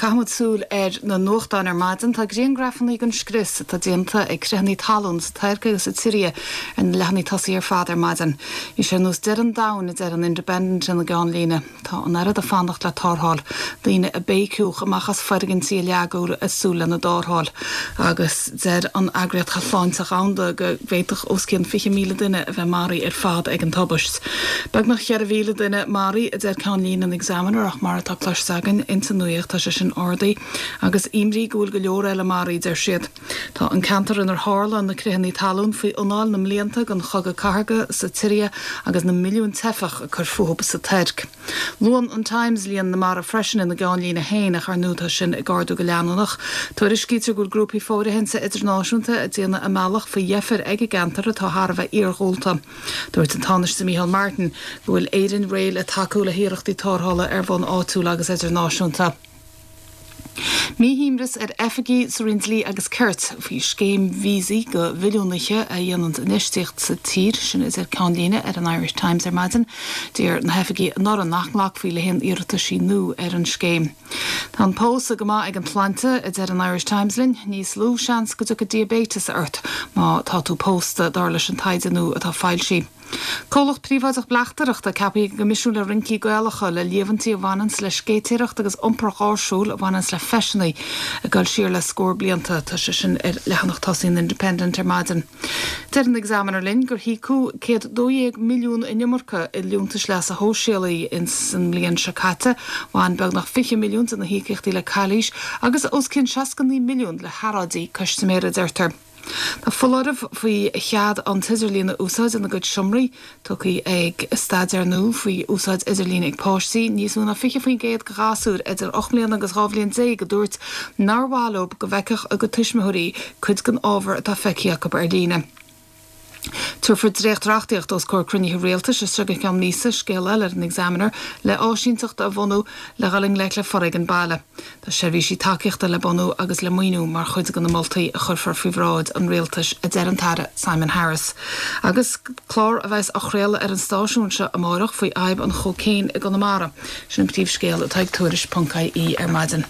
Caithfimid súil ar na nuachtáin ar maidin. Tá griangrafanna den scrios atá déanta ag creathanna talún sa Tuirc agus sa tSiria ar na leathanaigh tosaigh ar fad ar maidin. Bhí sé ar nós deireadh an domhain, a deir an Independent ina gceannlíne. Tá an oiread ag fanacht le tarrtháil, daoine a béiciúdh amach as foirgintí a leagadh ag súil lena dtarrtháil. Agus deir an Eagraíocht Shláinte Dhomhanda go bhféadfadh os cionn 20,000 duine a bheith maraithe ar fad ag an tubaist. Beagnach 4,000 duine maraithe, a deir ceannlíne an Examiner ach mar atá cloiste againn ins an nuaíocht tá sé sin ardaithe agus imní go bhfuil go leor eile maraithe, deir siad. Tá an ceantar inar tharla na critheanna talún faoi anáil na mblianta den chogadh cathartha sa tSiria agus na milliúin teifeach ag cur fúthu sa Tuirc. Luann an Times líon na marbh freisin ina gceannlíne féin ach ar ndóigh tá sin ag ardú go leanúnach. Tuairiscítear go bhfuil grúpaí fóirithinte idirnáisiúnta ag déanamh a mbealach faoi dheifir ag an gceantar atá thar a bheith iarghúlta. Dúirt an Tánaiste Micheál Martin go bhfuil Éirinn réidh le tacú le hiarrachtaí tarrthála ar bhonn áitiúil agus idirnáisiúnta. Míshuaimhneas ar oifigigh sa Roinn Dlí agus Cirt faoi scéim víosaí do mhilliúnaithe a dhéanann infheistíocht sa tír, sin a deir ceannlíne ar an Irish Times ar maidin. D'iarr na hoifigigh anuraidh nach nglacfaí le haon iarrataisí nua ar an scéim. Tá an pósadh go maith ag an tsláinte, a deir an Irish Times linn. Níos lú seans go dtiocfaidh diaibéiteas ort má tá tú pósta, dar leis an taighde nua atá foilsithe. Comhlacht príobháideach bleachtaireachta ceaptha ag an gCoimisiún le Rincí Gaelacha le líomhaintí a bhaineanns le scéitéireacht agus iompar gáirsiúil a bhaineanns le feiseanna ag dul siar le scór blianta. Tá sé sin ar leathanach tosaigh an Independent ar maidin. Deir an Examiner linn gur híocadh 112 milliún an iomarca i liúntais leasa shóisialaigh ins an mbliain seo caite. Bhain beagnach 20 milliún de na híocaíochtaí le calaois agus os cionn 69 milliún le hearráidí custaiméara, deirtear. Tá foláireamh faoi chead an t-idirlíon a úsáid ina gcuid seomraí tugtha ag staidéar nua faoi úsáid idirlín ag páistí. Níos mó ná 20% de ghasúir idir 8 mbliana agus 12 bhliain a dúirt nár mhaith leo go bhfeicfeadh a gcuid tuismitheoirí cuid den ábhar atá feicthe acu ar líne. Tabharfar dréacht-reachtaíocht os comhair cruinnithe rialtais as seo go ceann míosa, scéal eile ar an Examiner, le áisínteacht a bhunú le dhul i ngleic le foréigean baile. Tá seirbhísí tacaíochta le bunú agus le maoiniú mar chuid de na moltaí a chuirfear faoi bhráid an Rialtais, a deir an tAire Simon Harris. Agus clár a bheas á chraoladh ar an stáisiún seo amáireach faoi fhadhb an chócaon i gConamara, sin an príomhscéal atá ag Tuairisc.ie ar maidin.